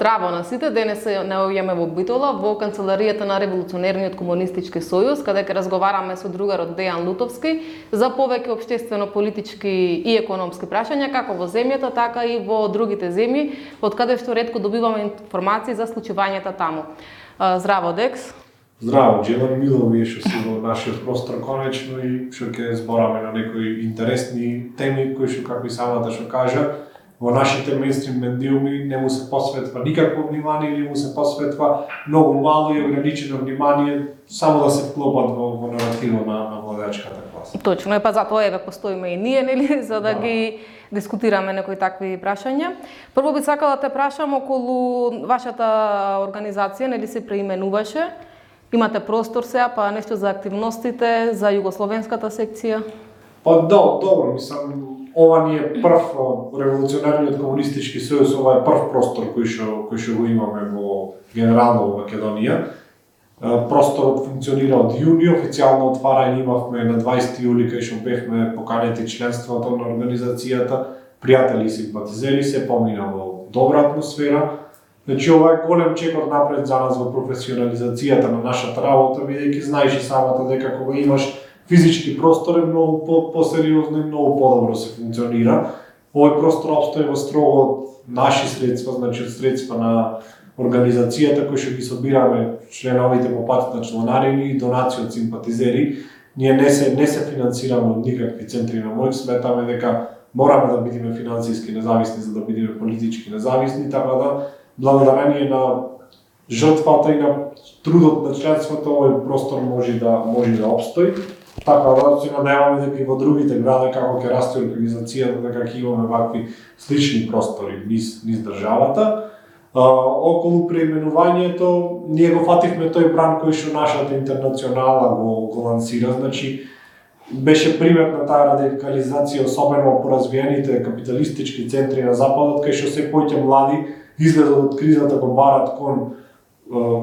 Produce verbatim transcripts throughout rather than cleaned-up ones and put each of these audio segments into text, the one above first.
Здраво на сите, денес се наоѓаме во Битола, во канцеларијата на Револуционерниот комунистички сојуз, каде ќе разговараме со другарот Дејан Лутовски за повеќе општествено-политички и економски прашања, како во земјата, така и во другите земји, од каде што ретко добиваме информации за случувањата таму. Здраво, Декс. Здраво, Джелан, мило ми е што си во нашиот простор конечно и што ќе збораме на некои интересни теми кои што, како и самата што кажа, во нашите мејнстрим медиуми не му се посветва никакво внимание или му се посветва многу мало и ограничено внимание само да се вклопат во, во наративо на, на владеачката класа. Точно, е па затоа еве постоиме и ние, нели, за да, да ги дискутираме некои такви прашања. Прво би сакала да те прашам околу вашата организација, нели се преименуваше. Имате простор сега, па нешто за активностите, за југословенската секција? Па да, добро, мислам, ова ни е прв Револуционерниот комунистички сојуз, ова е прв простор кој што кој што го имаме во генерално во Македонија. Просторот функционира од јуни, официјално отварање имавме на дваесети јули кај што бевме поканети членството на организацијата, пријатели и симпатизери, се помина во добра атмосфера. Значи ова е голем чекор напред за нас во професионализацијата на нашата работа, бидејќи знаеш и самата дека кога имаш физички простор е многу по посериозно и многу подобро се функционира. Овој простор опстои во строго од наши средства, значи од средства на организацијата кои што ги собираме членовите по пат на чланарини и донации од симпатизери. Ние не се не се финансираме од никакви центри на моќ, сметаме дека мораме да бидеме финансиски независни за да бидеме политички независни, така да благодарение на жртвата и на трудот на членството овој простор може да може да опстои. Така да се надеваме дека и во другите гради како ќе расте организацијата, дека ќе имаме вакви слични простори низ низ државата. А, околу преименувањето ние го фативме тој бран кој што нашата интернационала го, го лансира, значи беше приметна таа радикализација особено по развиените капиталистички центри на западот, кај што се поќе млади излезот од кризата го барат кон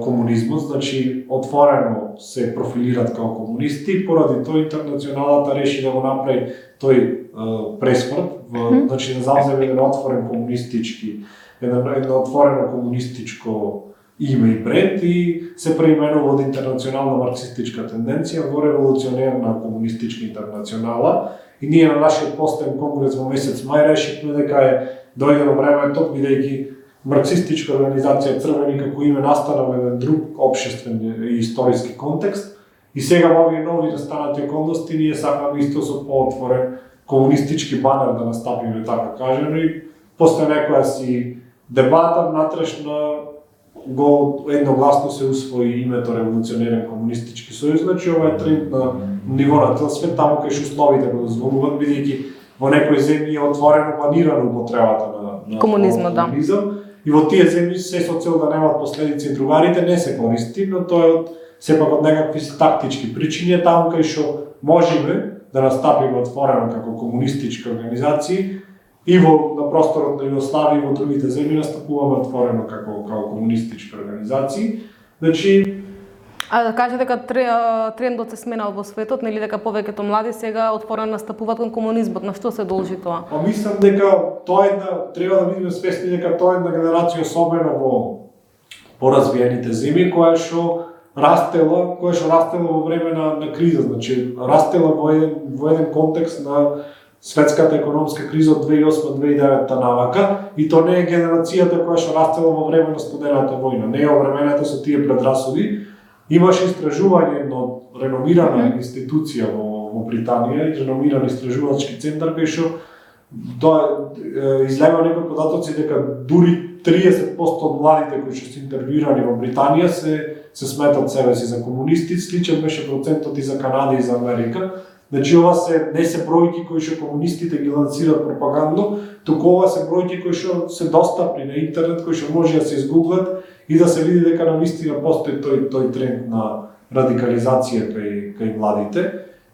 комунизмот, значи отворено се профилират како комунисти, поради тоа интернационалата реши да го направи тој е, пресврт, mm-hmm. значи да зауземе еден отворен комунистички, еден, едно отворено комунистичко име и бренд и се преименува од интернационална марксистичка тенденција во револуционерна комунистичка интернационала. И ние на нашиот последен конгрес во месец мај решивме дека е дојдено времето, бидејќи марксистичка организација Црвени како име настана во еден друг општествен и историски контекст и сега во овие нови настанати околности ние сакаме исто со поотворен комунистички банер да настапиме, така кажано, и после некоја си дебата внатрешна го едногласно се усвои името Револуционерен комунистички сојуз, значи ова е тренд на ниво на цел свет, таму кај што условите го дозволуваат, бидејќи во некои земји е отворено планирано употребата на, на комунизмот, да. И во тие земји се со цел да немаат последици другарите не се користи, но тоа е од сепак од некакви тактички причини, таму кај што можеме да настапиме отворено како комунистички организации и во на просторот на Југославија и во другите земји настапуваме отворено како како комунистички организации. Значи А да кажете дека трендот се сменал во светот, нели дека повеќето млади сега отворено настапуваат кон комунизмот, на што се должи тоа? Па мислам дека тоа е една треба да бидеме свесни дека тоа е една генерација особено во поразвиените земји која што растела, која што растела во време на на криза, значи растела во еден во еден контекст на светската економска криза од две илјади и осма - две илјади и девета навака и тоа не е генерацијата која што растела во време на студената војна, не е овременета со тие предрасуди. Имаше истражување од реномирана mm-hmm. институција во, во Британија, и реномиран истражувачки центар, кај што излева некои податоци дека дури триесет проценти од младите кои што се интервјуирани во Британија се се сметат себе си за комунисти, сличен беше процентот и за Канада и за Америка. Значи ова се не се бројки кои што комунистите ги лансираат пропагандно, туку ова се бројки кои што се достапни на интернет, кои што може да се изгуглат и да се види дека навистина постои тој тој тренд на радикализација кај кај младите.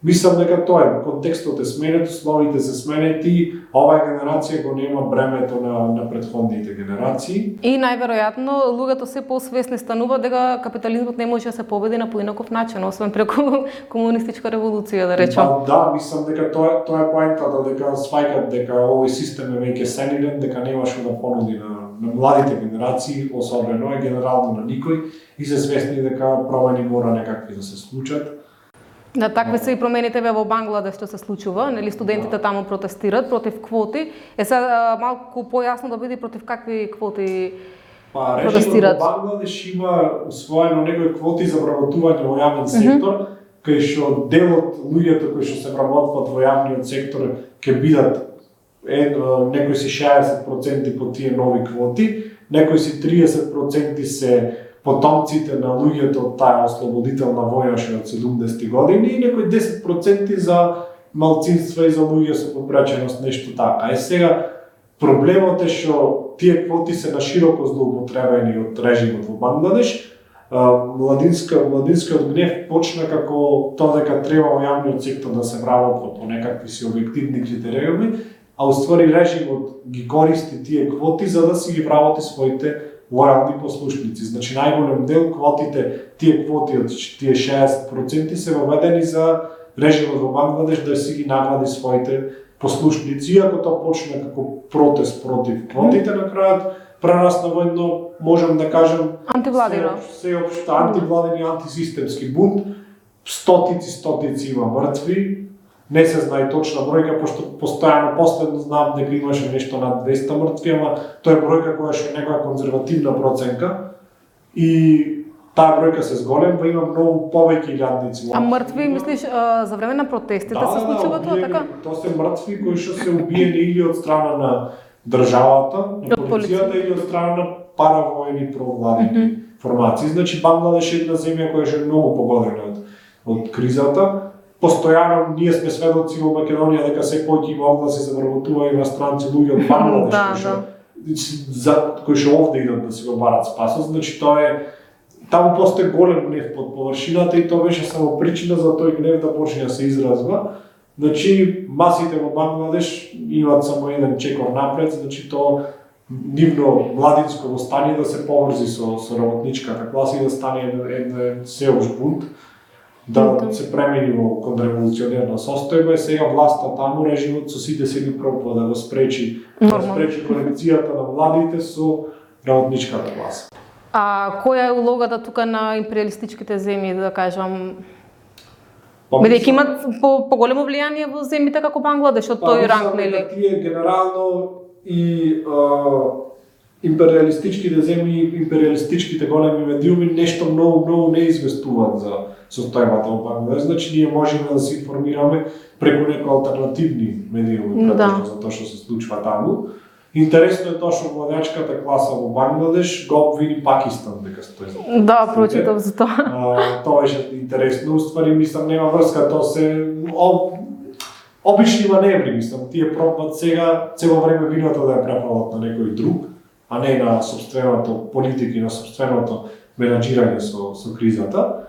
Мислам дека тоа е, контекстот е сменет, условите се сменети, оваа генерација го нема бремето на, на претходните генерации. И најверојатно луѓето се посвесни станува дека капитализмот не може да се победи на поинаков начин, освен преку комунистичка револуција, да речем. Ба, да, мислам дека тоа тоа е поентата, дека сваќаат дека овој систем е веќе сенилен, дека нема што да понуди на, на младите генерации, особено е генерално на никој, и се свесни дека промени мора некакви да се случат. Да, такви се и промените во Бангладеш што се случува, нели студентите таму протестираат против квоти. Е сега малку појасно да биде против какви квоти па, протестираат. Па, Бангладеш има усвоено некои квоти за вработување во јавен сектор, mm -hmm. кај што дел од луѓето кои што се вработваат во јавниот сектор ќе бидат е, некои си шеесет проценти по тие нови квоти, некои си триесет проценти се потомците на луѓето од таа ослободителна војна од седумдесетти години и некои десет проценти за малцинства и за луѓе со попреченост, нешто така. Е сега проблемот е што тие квоти се нашироко злоупотребени од режимот во Бангладеш. Младинска, младинскиот гнев почна како тоа дека треба во јавниот сектор да се вработва по некакви си објективни критериуми, а уствари режимот ги користи тие квоти за да си ги вработи своите лојални послушници. Значи најголем дел квотите, тие квоти од тие шеесет проценти се воведени за режимот во Бангладеш да си ги награди своите послушници, иако тоа почна како протест против квотите, на крајот прерасна во едно, можам да кажем, антивладино, сеопшто антивладен и антисистемски бунт. Стотици, стотици има мртви. Не се знае точна бројка, пошто постојано последно знам дека имаше нешто над двеста мртви, ама тоа е бројка која што е некоја конзервативна проценка и таа бројка се зголемва, има многу повеќе илјадници. А мртви, мислиш, за време на протестите да, се случува да, тоа така? Тоа се мртви кои што се убиени или од страна на државата, на полицијата или од страна на паравојни провладени mm -hmm. формации. Значи Бангладеш е една земја која што е многу погодена од, од кризата. Постојано ние сме сведоци во Македонија дека се повеќе има огласи за вработување иностранци луѓе од Бангладеш да, кои што да. за кои што овде идат да си го барат спасот. Значи тоа е таму постои голем гнев под површината и тоа беше само причина за тој гнев да почне да се изразва. Значи масите во Бангладеш имаат само еден чекор напред, значи тоа нивно младинско востание да се поврзи со со работничката класа и да стане еден сеопшт бунт, да се премени во контрреволуционерна состојба и сега власта таму, режимот со сите сили пробува да го спречи, да спречи конекцијата на младите со работничката класа. А која е улогата тука на империалистичките земји, да кажам? Бидејќи имат по поголемо влијание во земјите како Бангладеш, од тој ранг, нели? Тие генерално и а, империалистичките земји, империалистичките големи медиуми нешто многу многу не известуваат за состојбата во Бангладеш. Значи ние можеме да се информираме преку некои алтернативни медиуми претежно за тоа што се случува таму. Интересно е тоа што владеачката класа во Бангладеш го обвини Пакистан дека стои за. Да, прочитав за тоа. А, тоа беше интересно, уствари мислам нема врска, тоа се об, обични маневри, мислам, тие пробват сега цело време виното да ја префалат на некој друг, а не на собственото политика и на собственото менаџирање со со кризата.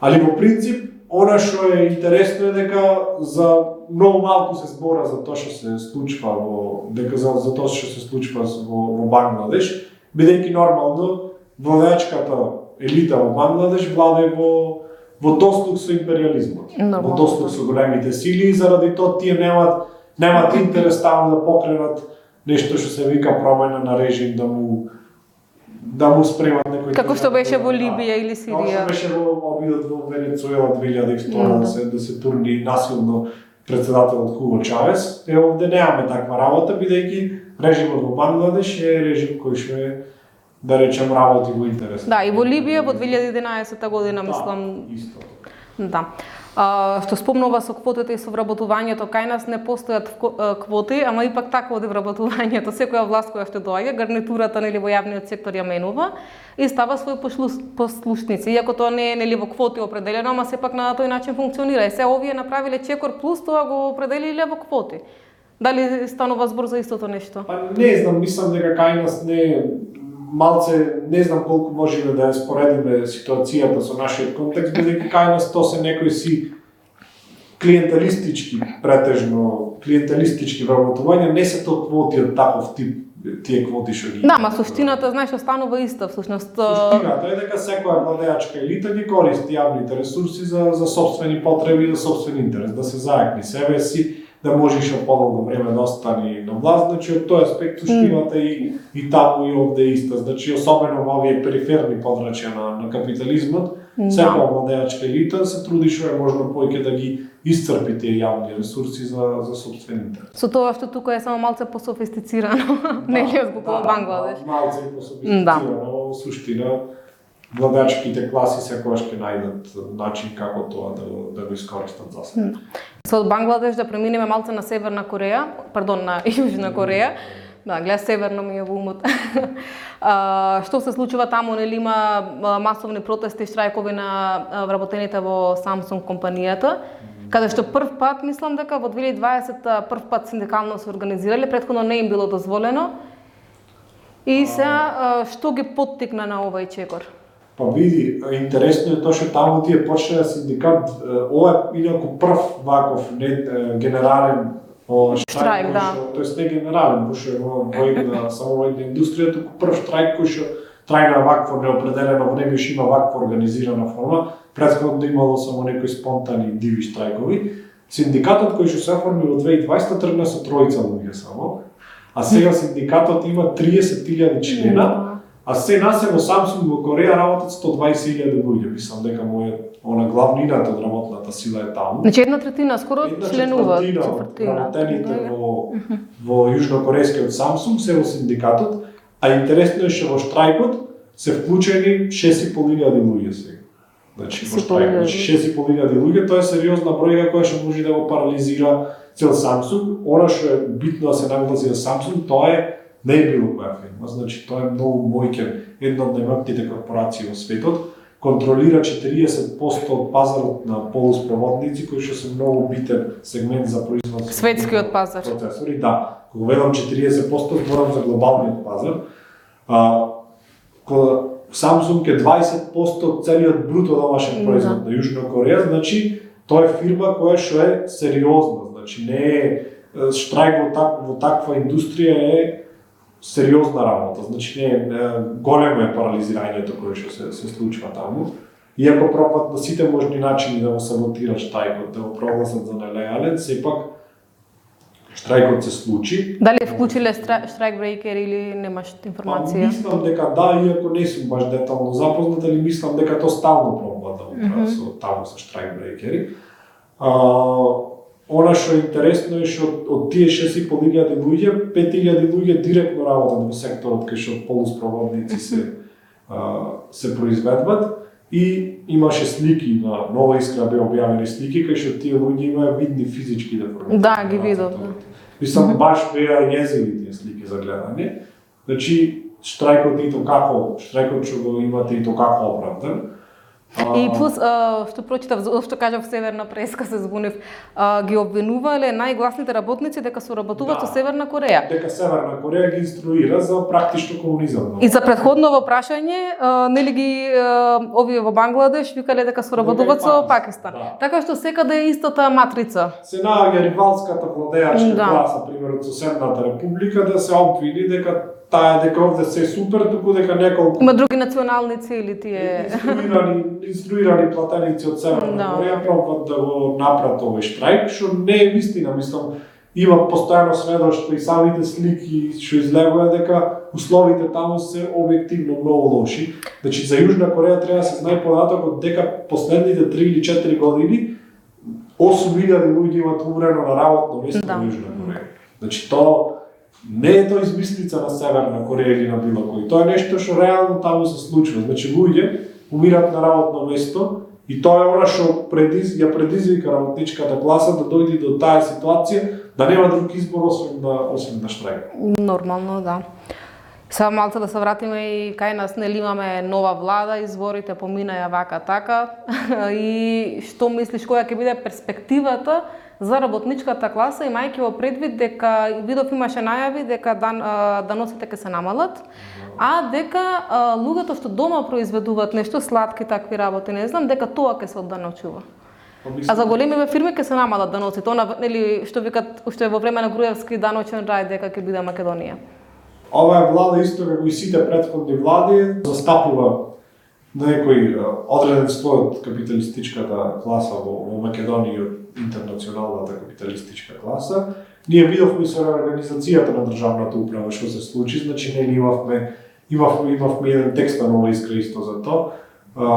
Али во принцип, она што е интересно е дека за многу малку се збора за тоа што се случува во дека за, за тоа што се случува во, во Бангладеш, бидејќи нормално владеачката елита во Бангладеш владее во во дослуг со империализмот, Нормално. во дослуг со големите сили и заради тоа тие немаат немаат интерес таму да покренат нешто што се вика промена на режим, да му да му спремат некој. Како што беше во Либија или Сирија. Како што беше во обидот во Венецуела две илјади и втора да се да се турни насилно претседателот Хуго Чавес. Е овде немаме таква работа, бидејќи режимот во Бангладеш е режим кој што е, да речем, работи во интерес. Да, и во Либија во две илјади и единаесетта година, да, мислам. Исто. Да. А, што спомнува со квотите и со вработувањето, кај нас не постојат квоти, ама ипак така оди вработувањето. Секоја власт која што доаѓа, гарнитурата нели во јавниот сектор ја менува и става своји послушници. Иако тоа не е нели во квоти определено, ама сепак на тој начин функционира. И се овие направиле чекор плюс тоа го определиле во квоти. Дали станува збор за истото нешто? Па не знам, мислам дека кај нас не малце, не знам колку можеме да ја споредиме ситуацијата со нашиот контекст, бидејќи кај нас тоа се некои си клиенталистички, претежно клиенталистички вработувања, не се тоа квоти од таков тип, тие квоти што ги. Да, ма суштината знаеш останува иста всушност. Суштината е дека секоја владеачка елита ги користи јавните ресурси за за сопствени потреби и за сопствен интерес, да се заекни себе си, да може што подолго време да остане на власт, значи од тој аспект суштината mm. и и таму и овде иста, значи особено во овие периферни подрачја на на капитализмот, mm. секоја владеачка елита се труди што е можно повеќе да ги исцрпи тие јавни ресурси за за сопствен интерес. Со тоа што тука е само малце пософистицирано, да, нели од Бангладеш. Да, малце пософистицирано, во суштина владеачките класи секогаш ќе најдат начин како тоа да да го искористат за себе. Со од Бангладеш да преминеме малце на Северна Кореја, пардон, на Јужна Кореја. Да, гледа северно ми е во умот. а, што се случува таму, нели има масовни протести, штрајкови на вработените во Samsung компанијата, каде што прв пат, мислам дека во две илјади и дваесета прв пат синдикално се организирале, претходно не им било дозволено. И сега што ги поттикна на овој чекор? Па види, интересно е тоа што таму тие почнаа синдикат, ова е инаку прв ваков не генерален штрајк, да. Тоест не генерален, пошто е во војна, само војна индустрија, туку прв штрајк кој што трајна вакво неопределено време што има ваква организирана форма, претходно имало само некои спонтани диви штрајкови. Синдикатот кој што се оформи во две илјади и дваесета тргна со тројца луѓе само, а сега синдикатот има триесет илјади члена. А се насе во Samsung во Кореја работат сто дваесет илјади луѓе, мислам дека моја она главнината од работната сила е таму. Значи една третина скоро членуваат, четвртина. Работените во во јужнокорејскиот Samsung се во синдикатот, а интересно е што во штрајкот се вклучени шест и пол илјади луѓе сега. Значи во штрајкот шест и пол илјади луѓе, тоа е сериозна бројка која што може да го парализира цел Samsung. Она што е битно да се нагласи за Samsung, тоа е не е било која фирма, значи тоа е многу мојќен, една од најмакните корпорации во светот, контролира четириесет проценти од пазарот на полуспроводници, кои што се многу битен сегмент за производство. Светскиот пазар. Процесори, да. Кога велам четириесет проценти, зборам за глобалниот пазар. А, кога Samsung е дваесет проценти од целиот бруто домашен производ на Јужна Кореја, значи тоа е фирма која што е сериозна, значи не е штрајк во, так, во таква индустрија е сериозна работа, значи не, не големо е парализирањето кое што се, се случува таму. Иако пробат на сите можни начини да го саботират штрајкот, да го прогласат за нелегален, сепак штрајкот се случи. Дали вклучиле штрајк брейкер или немаш информација? Па, мислам дека да, иако не сум баш детално запознат, али мислам дека тоа стално пробат да го прават mm -hmm. со таму со штрајк брейкери. А, Она што е интересно е што од тие шест и пол илјади луѓе, пет илјади луѓе директно работат во секторот кај што полуспроводници се а, се произведуваат и имаше слики на Нова Искра беа објавени слики кај што тие луѓе имаа видни физички деформации. Да, ги видов. Мислам баш беа језиви тие слики за гледање. Значи штрајкот и тоа како, штрајкот што го имате и тоа како оправдан. И плюс, а, што прочитав, што кажав Северна преска, се збунив, а, ги обвинувале најгласните работници дека соработуваат да, со Северна Кореја. Дека Северна Кореја ги инструира за практично комунизам. И за претходново прашање, а, нели ги а, овие во Бангладеш викале дека соработуваат со Пакистан. Да. Така што секаде е истата матрица. Се наоѓа ривалската владеачка да. класа, примерот со Соседната република, да се обвини дека таа дека овде се е супер, туку дека неколку има други национални цели тие инструирани, инструирани платеници од Северна no. Кореја пробат да го направат овој штрајк, што не е вистина, мислам, има постојано сведоштво и самите слики што излегува дека условите таму се објективно многу лоши. Значи за Јужна Кореја треба да се знае податокот дека последните три или четири години осум илјади луѓе имаат умрено на работно место да. во Јужна Кореја. Значи тоа не е тоа измислица на Северна Кореја или на било кој. Тоа е нешто што реално таму се случува. Значи луѓе умират на работно место и тоа е она што предиз, ја предизвика работничката класа да дојде до таа ситуација да нема друг избор освен да освен да штрајка. Нормално, да. Сега малце да се вратиме и кај нас, нели имаме нова влада, изборите поминаја вака така и што мислиш која ќе биде перспективата за работничката класа, имајќи во предвид дека видов имаше најави дека дан, даносите ќе се намалат, а дека а, луѓето што дома произведуваат нешто сладки такви работи, не знам, дека тоа ќе се одданочува. А за големиве фирми ќе се намалат даноците, она нели што викат уште во време на Груевски даночен рај дека ќе биде Македонија. Оваа влада исто како и сите претходни влади застапува некој одреден слој од капиталистичката класа во, во Македонија, од интернационалната капиталистичка класа. Ние видовме со реорганизацијата на државната управа што се случи, значи не имавме имавме имавме еден текст на Нова Искра исто за тоа. А,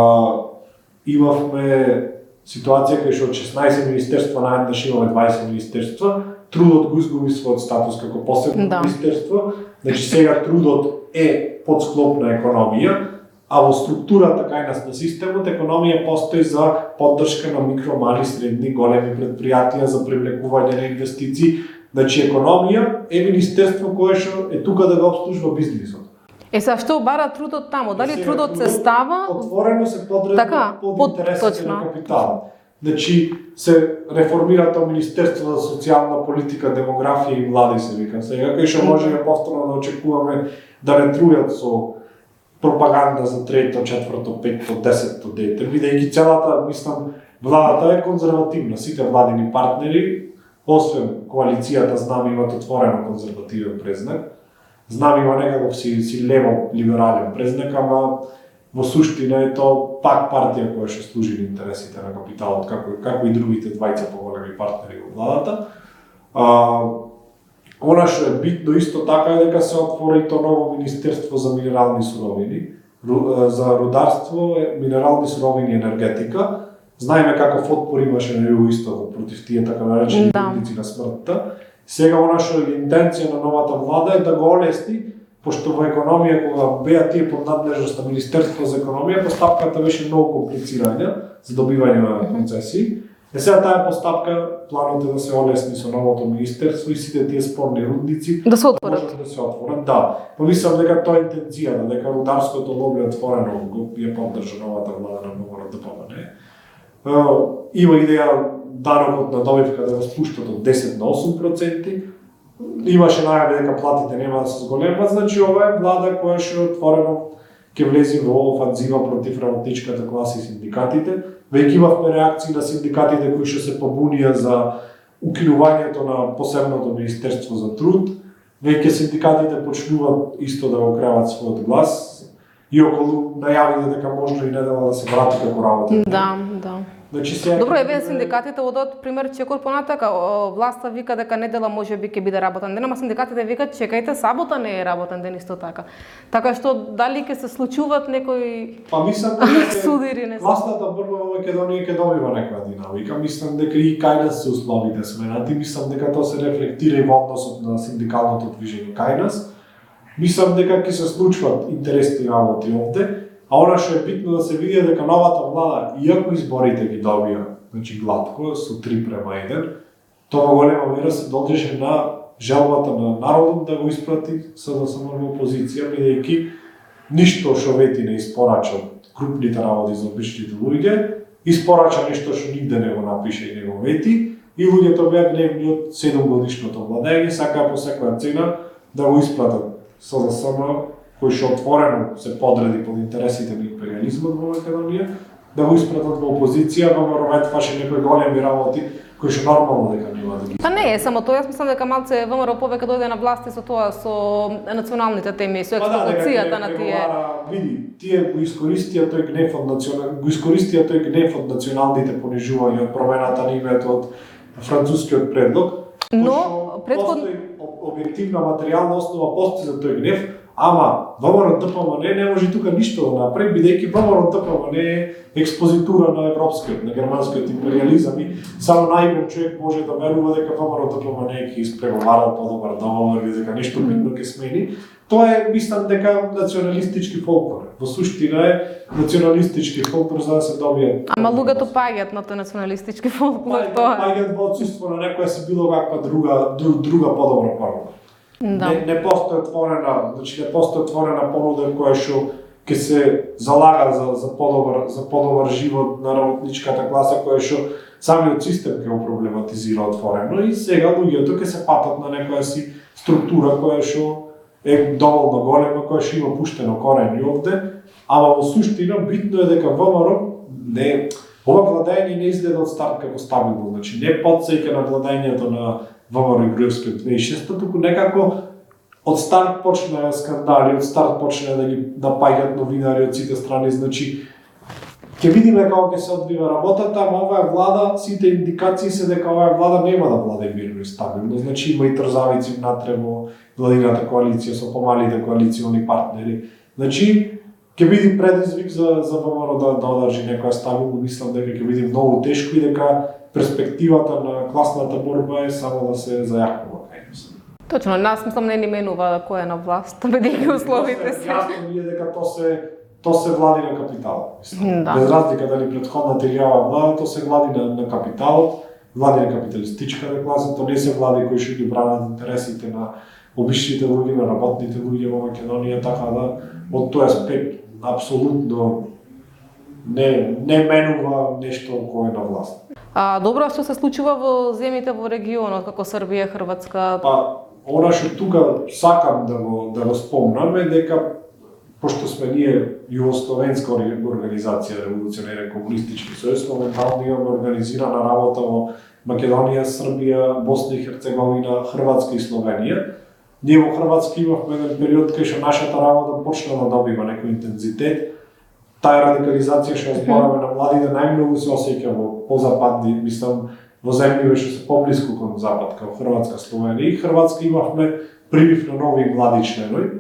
имавме ситуација кај што од шеснаесет министерства наеднаш имаме дваесет министерства, трудот го изгуби својот статус како посебно да. министерство, значи сега трудот е подсклоп на економија, а во структурата кај нас на системот економија постои за поддршка на микро, мали, средни, големи предпријатија, за привлекување на инвестиции. Значи економија е министерство кое што е тука да го обслужува бизнисот. Е сега што бара трудот таму? Дали трудот се става отворено се подредува така, под, под интересите на капиталот. Значи се реформира тоа Министерство за социјална политика, демографија и млади се вика. Сега кај што можеме повторно да очекуваме да не трујат со пропаганда за трето, четврто, петто, десетто дете, бидејќи целата, мислам, владата е конзервативна. Сите владини партнери, освен коалицијата, знам, имат отворено конзервативен презнак. Знам, има некаков си, си лево-либерален презнак, ама во суштина е тоа пак партија која што служи на интересите на капиталот, како, како и другите двајца поголеми партнери во владата. А, Она што е битно исто така е дека се отвори и тоа ново Министерство за минерални суровини, за рударство, минерални суровини и енергетика. Знаеме каков отпор имаше на југоистокот против тие така наречени рудници да. на смртта. Сега она што е интенција на новата влада е да го олесни, пошто во економија кога беа тие под надлежност на Министерство за економија, постапката беше многу комплицирања за добивање на концесии. Е сега таа постапка, планот е да се олесни со новото министерство и сите тие спорни рудници да се отворат. Да се отворат, да. Помислам дека тоа е интенцијата, дека рударското лоби отворено го ја поддржа новата влада на Д П М Н. Има идеја данокот на добивка да го спуштат од десет на осум проценти. Имаше најави дека платите нема да се зголемат, значи ова е влада која што отворено ќе влези во офанзива против работничката класа и синдикатите. Веќе имавме реакции на синдикатите кои што се побунија за укинувањето на посебното Министерство за труд. Веќе синдикатите почнуваат исто да го креват својот глас и околу најавите дека можно и недела да се врати како работа. Да, да. Значи сега добро, еве синдикатите одат пример чекор понатака, власта вика дека недела можеби ќе биде работен ден, ама синдикатите викаат чекајте, сабота не е работен ден исто така. Така што дали ќе се случуваат некои па мислам дека судири не. Класната борба во Македонија ќе добива некоја динамика. Мислам дека и кај нас се условите сменати, мислам дека тоа се рефлектира и во односот на синдикалното движење кај нас. Мислам дека ќе се случват интересни работи овде. А она што е битно да се види дека новата влада, иако изборите ги добија, значи глатко, со три према еден, тоа во голема мера се дължеше на желбата на народот да го испрати С Д С М во опозиција, бидејќи ништо што вети не испорача крупните работи за обичните луѓе, испорача нешто што нигде не го напише и не го вети, и луѓето беа гневни од седумгодишното владење, сакаа по секоја цена да го испратат С Д С М, кој што отворено се подреди под интересите на империализмот во Македонија, да го испратат во опозиција, ВМРО ветваше некои големи работи кои што нормално дека нема да ги. Па не е само тоа, јас мислам дека малце ВМРО повеќе дојде на власти со тоа, со националните теми, со експлоатацијата на тие. Види, тие го искористија тој гнев од национал, го искористија тој гнев од националните понижувања, од промената на името од францускиот предлог. Но претходно објективна материјална основа постои за тој гнев. Ама ВМРО Д П М Н не може тука ништо да направи, бидејќи ВМРО Д П М Н е експозитура на европскиот, на германскиот империализам и само наивен човек може да верува дека ВМРО Д П М Н ќе испреговарал подобар договор или дека нешто битно ќе смени. Тоа е, мислам, дека националистички фолклор. Во суштина е националистички фолклор за да се добијат. Ама луѓето паѓаат на тој националистички фолклор тоа. Паѓаат во отсуство на некоја си било каква друга друга подобра форма. Да. Не, не постои отворена, значи не постои отворена понуда која што ќе се залага за за подобар за подобар живот на работничката класа која што самиот систем ќе го проблематизира отворено и сега луѓето ќе се патат на некоја си структура која што е доволно голема, која што има пуштено корени овде, ама во суштина битно е дека ВМРО не Ова владење не изгледа од старт како стабилно, значи не потсеќа на владењето на ВМРО и Груевски од две тисячи и шеста, туку некако од старт почна скандали, од старт почна да ги напаѓаат новинари од сите страни, значи ќе видиме како ќе се одвива работата, ама оваа влада, сите индикации се дека оваа влада нема да владе мирно и стабилно, значи има и трзавици внатре во владината коалиција со помалите коалициони партнери. Значи ќе биде предизвик за за ВМРО да да одржи некоја стабилно, мислам дека ќе биде многу тешко и дека перспективата на класната борба е само да се зајакнува кај нас. Точно, нас мислам не ни менува кој е на власт, бидејќи условите се. Јасно ми е дека тоа се тоа се влади на капиталот. Да. Без разлика дали претходната или оваа влада, тоа се влади на, на капиталот, влади на капиталистичката класа, тоа не се влади кои што ги бранат интересите на обичните луѓе, на работните луѓе во Македонија, така да од тој аспект апсолутно не не менува нешто кој е на власт. А добро, што се случува во земјите во регионот како Србија, Хрватска? Па она што тука сакам да го да го спомнам е дека пошто сме ние југословенска организација Револуционерен комунистички сојуз, моментално имаме организирана работа во Македонија, Србија, Босна и Херцеговина, Хрватска и Словенија. Ние во Хрватска имавме еден период кај што нашата работа почна да добива некој интензитет. Таа радикализација што збораме на младите најмногу се осеќа во позападни, мислам, во земји што се поблиску кон запад, како Хрватска, Словенија и Хрватска имавме прилив на нови млади членови.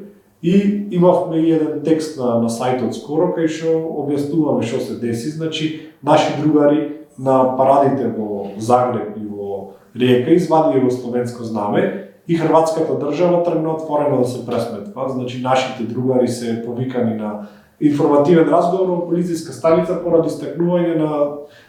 И имавме и еден текст на, на сајтот скоро, кај што објаснуваме што се деси. Значи, наши другари на парадите во Загреб и во Риека извадија југословенско знаме и хрватската држава тргна отворено да се пресметва. Значи, нашите другари се повикани на информативен разговор во полициска станица поради стакнување на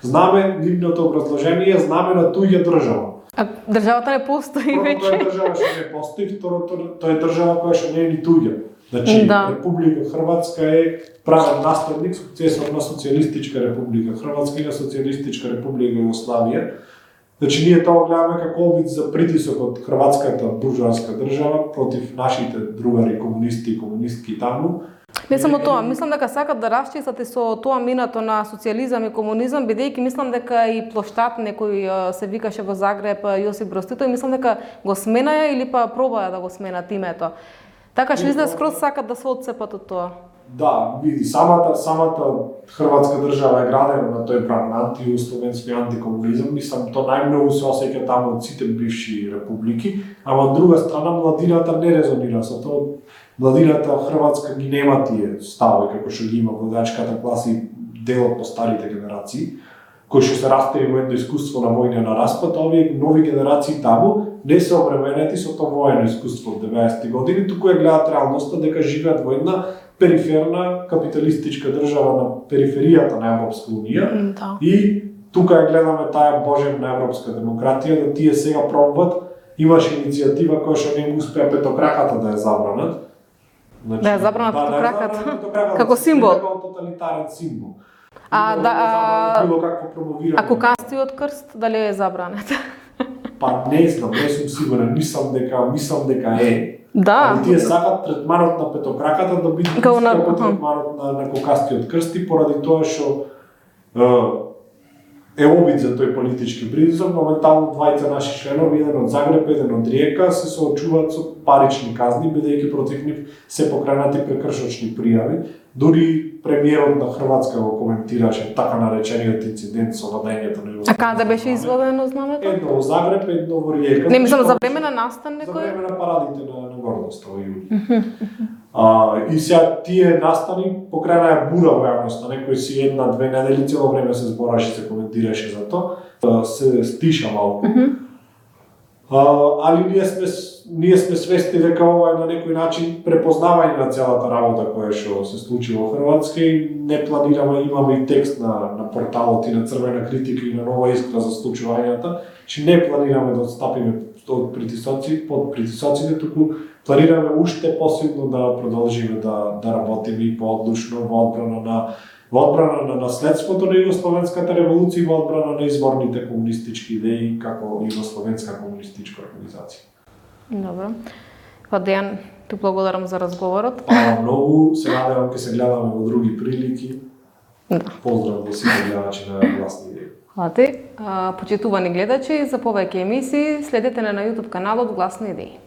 знаме, нивното образложение е знаме на туѓа држава. А државата не постои веќе. Тоа е држава што не постои, второто тоа е држава која што не е ни туѓа. Значи, да. Република Хрватска е правен наследник, сукцесор на Социјалистичка република Хрватска и на Социјалистичка република Југославија. Значи, ние тоа гледаме како обид за притисок од хрватската буржоаска држава против нашите другари комунисти и комунистки таму. Не само тоа, мислам дека сакат да расчистат и со тоа минато на социјализам и комунизам, бидејќи мислам дека и плоштад некој се викаше во Загреб Јосип Брз Тито и мислам дека го сменаја или па пробаја да го сменат името. Така што изгледа скроз сакат да се отцепат од тоа. Да, види, самата самата хрватска држава е градена на тој бран на антијугословенски антикомунизам, мислам тоа најмногу се осеќа таму од сите бивши републики, ама од друга страна младината не резонира со тоа. Младината хрватска ги нема тие ставови како што ги има владачката класа и делот по старите генерации, кои што се растери во едно искуство на војна на распад, овие нови генерации таму не се обременети со тоа воено искуство од деветдесетти години, туку ја гледаат реалноста дека живеат во една периферна капиталистичка држава на периферијата на Европска унија. Да. И тука ја гледаме таа божевна европска демократија, да тие сега пробват. Имаше иницијатива која што не им успеа петокраката да ја забранат. Значи, да ја забранат да, петокраката како символ. Како тоталитарен символ. А да, а, било какво промовирање. А коканстиот крст дали е забранет? Па не знам, не сум сигурен, мислам дека мислам дека е. Да. Али тие сакат третманот на петокраката да биде како на третманот на, на кокастиот крст и поради тоа што е обид за тој политички притисок, моментално двајца наши членови, еден од Загреб, еден од Риека, се соочуваат со парични казни, бидејќи против нив се покренати прекршочни пријави. Дури премиерот на Хрватска го коментираше така наречениот инцидент со владењето на Југославија. А каде беше извадено знамето? Едно во Загреб, едно во Риека. Не мислам за време на настан некој? За време на парадите на, на гордост во јули. А, и сега тие настани покренаја бура во јавноста, некој си една-две недели цело време се збораше, се коментираше за тоа, се стиша малку. Mm -hmm. а, али ние сме ние сме свесни дека ова е на некој начин препознавање на целата работа која што се случи во Хрватска и не планираме, имаме и текст на на порталот и на Црвена критика и на Нова искра за случувањата, че не планираме да отстапиме од притисоци, под притисоците, туку планираме уште посилно да продолжиме да да работиме и поодлучно во одбрана на во одбрана на наследството на Југословенската револуција и во одбрана на изворните комунистички идеи како Југословенска комунистичка организација. Добро. Па Дејан, ти благодарам за разговорот. Па многу, се надевам ќе се гледаме во други прилики. Да. Поздрав во сите гледачи на Гласни идеи. Хвала ти. Почитувани гледачи, за повеќе емисии следете на YouTube каналот Гласни идеи.